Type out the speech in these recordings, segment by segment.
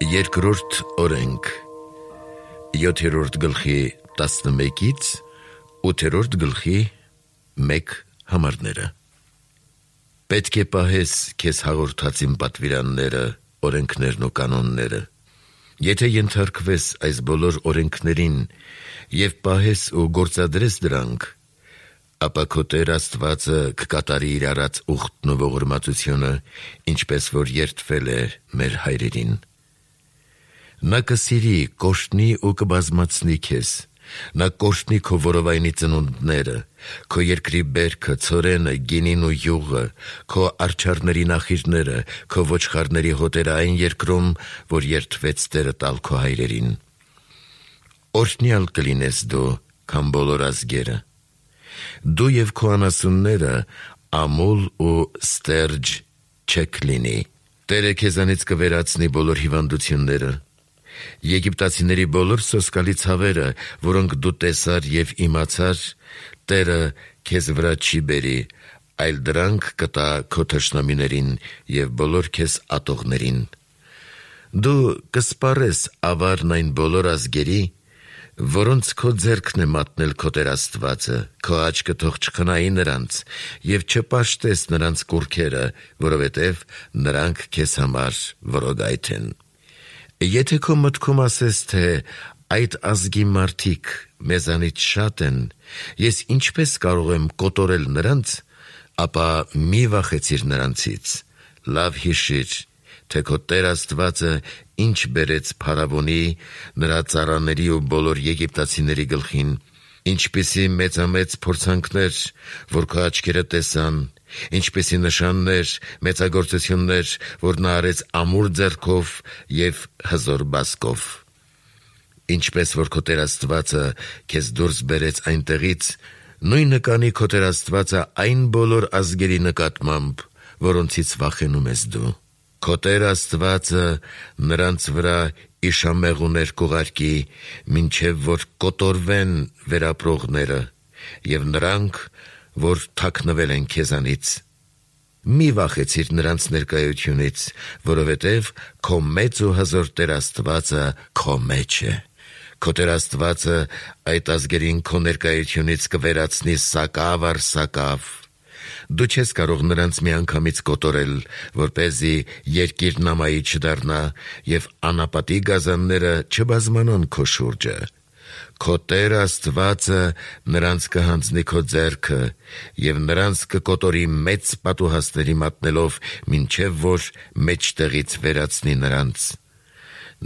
Երկրորդ օրենք 7-րդ գլխի 11-ից 8-րդ գլխի 1 համարները։ Պետք է պահես քեզ հաղորդած իմ պատվիրանները, օրենքներն ու կանոնները։ Եթե ենթարկվես այս բոլոր օրենքներին եւ պահես ու գործադրես դրանք, ապա քո Տեր Աստվածը կկատարի իր արած ուխտն ու ողորմածությունը, ինչպես որ երդվել է մեր հայրերին։ Նա կսիրի, կօրհնի ու կբազմացնի քեզ, նա կօրհնի քո որովայնի ծնունդները, քո երկրի բերքը, ցորենը, գինին ու յուղը, քո արջառների նախիրները, քո ոչխարների հոտերը այն երկրում, որ երդվեց Տերը տալ քո հայրերին։ Օրհնյալ կլինես դու, քան բոլոր ազգերը։ Դու եւ քո անասունները ամուլ ու ստերջ չեք լինի։ Տերը քեզանից կվերացնի բոլոր հիվանդությունները։ Եգիպտացիների բոլոր սոսկալի ցավերը, որոնք դու տեսար եւ իմացար, Տերը քեզ վրա չի բերի, այլ դրանք կտա քո թշնամիներին եւ բոլոր քեզ ատողներին։ Դու կսպառես ավարն այն բոլոր ազգերի, որոնց քո ձեռքն է մատնել քո Տեր Աստվածը, քո աչքը թող չխնայի նրանց եւ չպաշտես նրանց կուռքերը, որովհետեւ նրանք քեզ համար որոգայթ են։ Եթե քո մտքում ասես, թե այդ ազգի մարդիկ մեզանից շատ են, ես ինչպես կարող եմ կոտորել նրանց, ապա մի վախեցիր նրանցից, լավ հիշիր, թե քո Տեր Աստվածը ինչ բերեց Փարավոնի, նրա ծառաների ու բոլոր եգիպտացիների գլխին, ինչպիսի մեծամեծ փորձանքներ, որ քո աչքերը տեսան, ինչպիսի նշաններ, մեծագործություններ, որ նա արեց ամուր ձեռքով եւ հզոր բազկով։ Ինչպես որ քո Տեր Աստվածը քեզ դուրս բերեց այնտեղից, նույնը կանի քո Տեր Աստվածը այն բոլոր ազգերի նկատմամբ, որոնցից վախենում ես դու։ Քո Տեր Աստվածը նրանց վրա իշամեղուներ կուղարկի, մինչև որ կոտորվեն վերապրողները եւ նրանք, որ թաքնվել են քեզանից։ Մի վախեցիր նրանց ներկայությունից, որովհետև քո մեծ ու հզոր Տեր Աստվածը քո մեջ է։ Քո Տեր Աստվածը այդ ազգերին քո ներկայությունից կվերացնի սակավ առ սակավ։ Դու չես կարող նրանց միանգամից կոտորել, որպեսզի երկիրն ամայի չդառնա եւ անապատի գազանները չբազմանան քո շուրջը։ Քո Տեր Աստվածը նրանց կհանձնի քո ձեռքը եւ նրանց կկոտորի մեծ պատուհասների մատնելով, մինչեւ որ մեջտեղից վերացնի նրանց։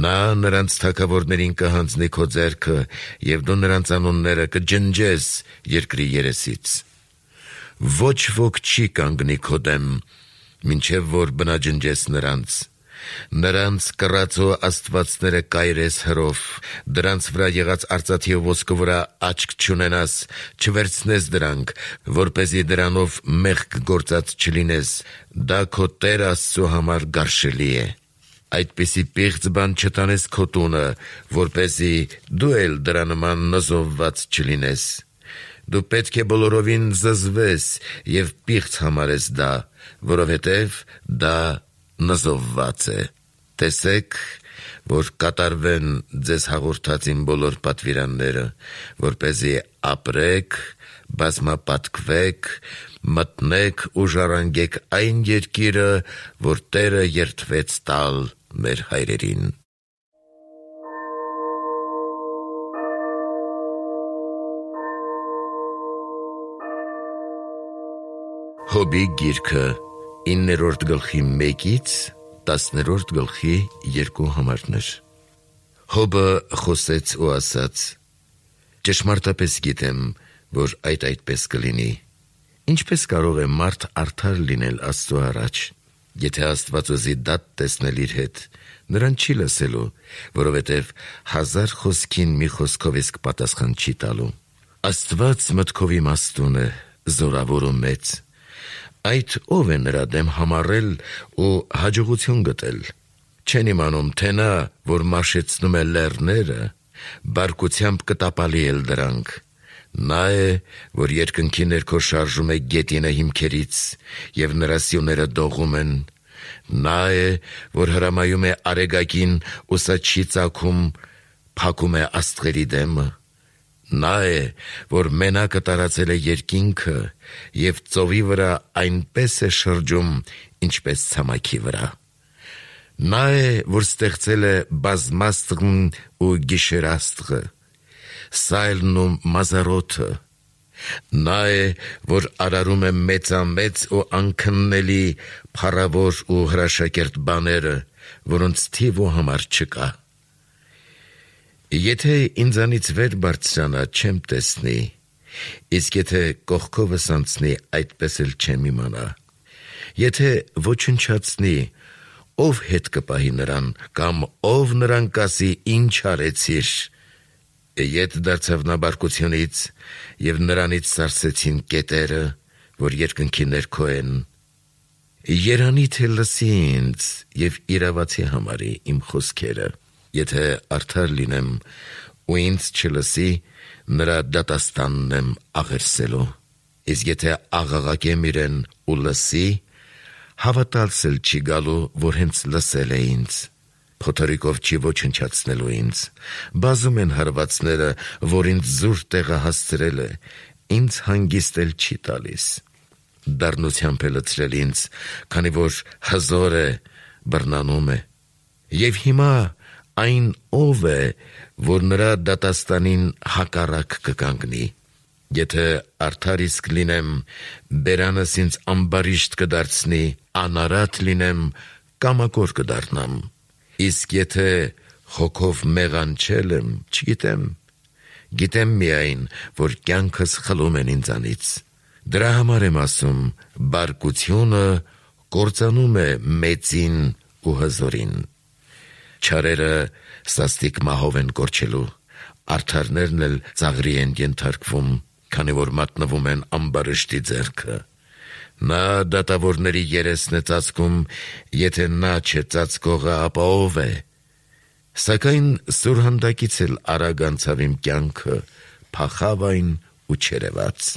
Նա նրանց թագավորներին կհանձնի քո ձեռքը եւ դու նրանց անունները կջնջես երկրի երեսից։ Ոչ ոք չի կանգնի քո դեմ, մինչև որ բնաջնջես նրանց։ Նրանց կռացու աստվածները կայրես հրով, դրանց վրա եղած արծաթի ու ոսկու վրա աչք չունենաս, չվերցնես դրանք, որպեսզի դրանով մեղք գործած չլինես, դա քո Տեր Աստծու համար գարշելի է։ Այդպիսի պիղծ բան չտանես քո տունը, որպեսզի դու էլ դրա նման նզովված չլինես։ Դու պետք է բոլորովին զզվես եւ պիղծ համարես դա, որովհետեւ դա նզովված է։ Տեսեք, որ կատարվեն ձեզ հաղորդած իմ բոլոր պատվիրանները, որպեսզի ապրեք, բազմապատկվեք, մտնեք ու ժառանգեք այն երկիրը, որ Տերը երդվեց տալ մեր հայրերին։ Հոբի գիրքը 9-րդ գլխի 1-ից 10-րդ գլխի 2 համարներ։ Հոբը խոսեց ու ասաց. ճշմարտապես գիտեմ, որ այդպես կլինի։ Ինչպես կարող է մարդ արդար լինել Աստծու առաջ, եթե Աստված ուզի դատ տեսնել իր հետ, նրան չի լսելու, որովհետև 1000 խոսքին մի խոսքով իսկ պատասխան չի տալու։ Աստված մտքով իմաստուն է, զորավոր ու մեծ։ Այդ ով է նրա դեմ համառել ու հաջողություն գտել։ Չեն իմանում, թե նա, որ մաշեցնում է լեռները, բարկությամբ կտապալի էլ դրանք։ Նա է, որ երկնքի ներքո շարժում է գետինը հիմքերից, եւ նրա սյուները դողում են։ Նա է, որ հրամայում է արեգակին ու սա չի ծագում, փակում է աստղերի դեմը։ Նա է, որ մենակը տարածել է երկինքը և ծովի վրա այնպես է շրջում, ինչպես ցամաքի վրա։ Նա է, որ ստեղծել է բազմաստղն ու գիշերաստղը, սայլն ու մազարոթը։ Նա է, որ արարում է մեծամեծ ու անքննելի փառավոր ու հրաշակերտ բաները, որոնց թիվ ու համար չկա։ Եթե ինձանից վեր բարձրանա, չեմ տեսնի, իսկ եթե կողքովս անցնի, այդպես էլ չեմ իմանա։ Եթե ոչնչացնի, ով հետ կպահի նրան, կամ ով նրան կասի, ինչ արեցիր։ Ետ դարձավ նա բարկությունից, և նրանից սարսեցին կետերը, որ երկնքի ներքո են։ Երանի թե լսի ինձ և իրավացի համարի իմ խոսքերը։ Եթե արդար լինեմ ու ինձ չլսի, նրա դատաստանն եմ աղերսելու։ Իսկ եթե աղաղակեմ իրեն ու լսի, հավատալս էլ չի գալու, որ հենց լսել է ինձ։ Փոթորիկով չի ոչնչացնելու ինձ։ Բազում են հարվածները, որ ինձ զուր տեղը հասցրել է, ինձ հանգիստ էլ չի տալիս։ Դառնությամբ է լցրել ինձ, քանի որ հզոր է, բռնանում է։ Եվ հիմա այն ով է, որ նրա դատաստանին հակառակ կկանգնի։ Եթե արդար իսկ լինեմ, բերանս ինձ ամբարիշտ կդարձնի, անարատ լինեմ, կամակոր կդառնամ։ Իսկ եթե հոգով մեղանչել եմ, չգիտեմ, գիտեմ միայն, որ կյանքս խլում են ինձանից։ Դրա համար եմ ասում, բարկությունը կործանում է մեծին ու հզորին։ Չարերը սաստիկ մահով են կորչելու, արդարներն էլ ծաղրի են ենթարկվում, քանի որ մատնվում են ամբարիշտի ձեռքը։ Նա դատավորների երեսն է ծածկում, եթե նա չէ ծածկողը, ապա ով է։ Սակայն սուրհանդակից էլ արագ անցավ իմ կյանքը, փախավ այն ու չերևաց։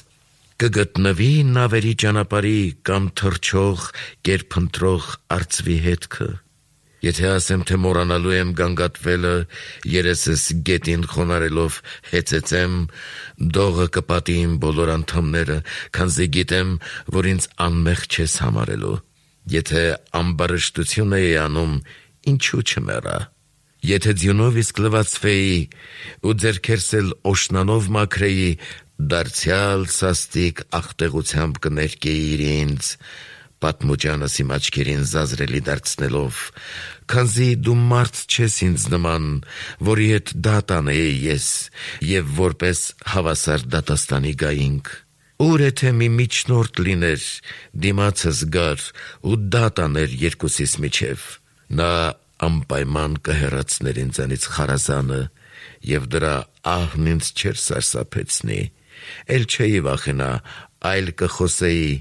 Կգտնվի նավերի ճանապարհի կամ թռչող, կերփընտրող արծվի հետքը։ Եթե ասեմ, թե մոռանալու եմ գանգատվելը, երեսս գետին խոնարելով հեծեցեմ, դողը կպատի իմ բոլոր անդամները, քանզի գիտեմ, որ ինձ անմեղ չես համարելու։ Եթե ամբարշտություն էի անում, ինչու չմեռա։ Եթե ձյունով իսկ լվացվեի ու ձեռքերս էլ օշնանով մաքրեի, դարձյալ սաստիկ աղտեղությամբ կներկեիր ինձ, պատմուճանս իմ աչքերին զազրելի դարձնելով, քանզի դու մարդ չես ինձ նման, որի հետ դատ անեի ես, և որպես հավասար դատաստանի գայինք։ Ուր է թե մի միջնորդ լիներ, դիմացս գար ու դատ աներ երկուսիս միջև։ Նա անպայման կհեռացներ ինձանից խարազանը, և դրա ահն ինձ չէր սարսափեցնի։ Էլ չէի վախենա, այլ կխոսեի,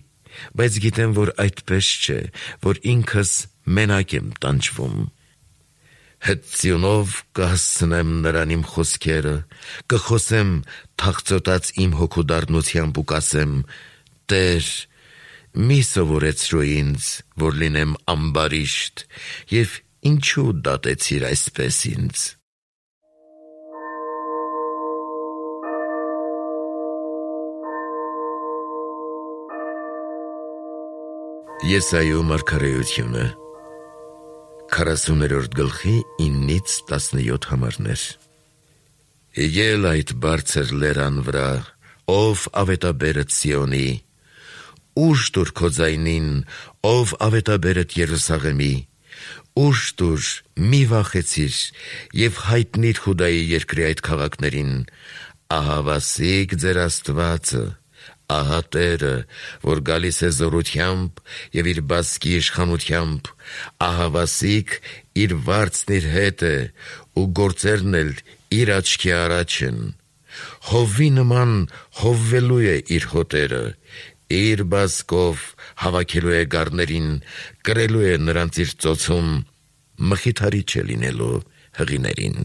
բայց գիտեմ, որ այդպես չէ, որ ինքս մենակ եմ տանջվում։ Հծյունով կհասցնեմ նրան իմ խոսքերը, կխոսեմ թախծոտած իմ հոգու դառնությամբ ու կասեմ. Տեր, մի սովորեցրու ինձ, որ լինեմ ամբարիշտ, և ինչու դատեցիր այսպես ինձ։ Եսայու մարգարեությունը 40-րդ գլխի 9-ից 17 համարներ։ Ել այդ բարձր լերան վրա, ով ավետաբերդ Սիոնի, ուժ տուր քո ձայնին, ով ավետաբերդ Երուսաղեմի, ուժ տուր, մի վախեցիր, և հայտնիր Հուդայի երկրի այդ քաղաքներին, ահա վասիկ ձեր Աստվածը, ահա Տերը, որ գալիս է զորությամբ և իր բասկի իշխանությամբ, ահա վասիկ իր վարձն իր հետ է, ու գործերն էլ իր աչքի առաջ են։ Հովվի նման հովվելու է իր հոտերը, իր բասկով հավաքելու է գառներին, կրելու է նրանց իր ծոցում, մխիթարիչ է լինելու հղիներին։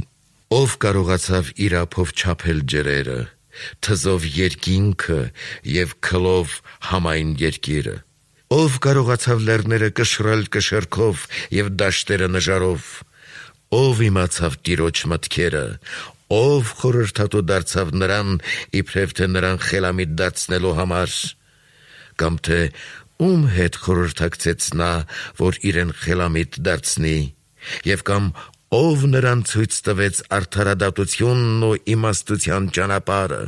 Ով կարողացավ իր ափով չափել ջրերը, թզով երկինքը և քլով համայն երկիրը, Ով կարողացավ լեռները կշռել կշեռքով և դաշտերը նժարով, ով իմացավ Տիրոջ մտքերը, ով խորհրդատու դարձավ նրան, իբրև թե նրան խելամիտ դարձնելու համար, կամ թե ում հետ խորհրդակցեց նա, որ իրեն խելամիտ դարձնի, և կամ ով նրան ցույց տվեց արդարադատությունն ու իմաստության ճանապարհը,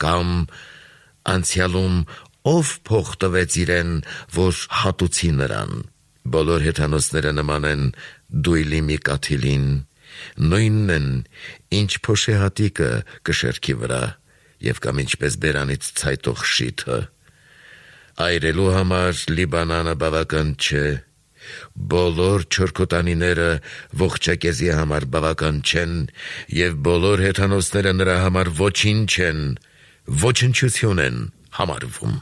կամ անցյալում ով փող տվեց իրեն, որ հատուցի նրան։ Բոլոր հեթանոսները նման են դույլի մի կաթիլին, նույնն են, ինչ փոշեհատիկը կշեռքի վրա, և կամ ինչպես բերանից ցայտող շիթը։ Այրելու համար Լիբանանը բավական չէ, բոլոր չորքոտանիները ողջակեզի համար բավական չեն, և բոլոր հեթանոսները նրա համար ոչինչ են, ոչնչություն են համարվում։